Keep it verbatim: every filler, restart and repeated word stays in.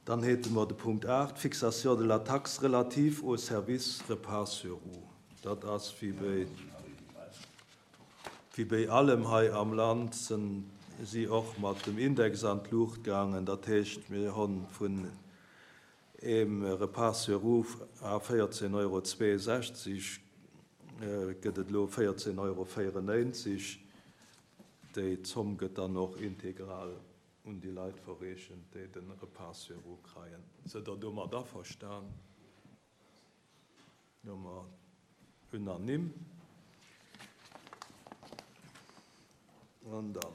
Dann hätte mer de Punkt aacht, Fixation de la taxe relative au service repas sur roues. Dat ass wéi bei, wéi bei allem hei am Land, sinn si och mat dem Index an d'Luucht gaangen. Dat heescht, mir hunn vun eem Repas sur roues à véierzéng Euro zweesechzeg gëtt et elo véierzéng Euro véierennéinzeg. Déi Zomm gëtt dann och integral un déi Leit verreechent, déi de Repas sur roues kréien. Sidd Der domat averstan? Nummer unanime. An dann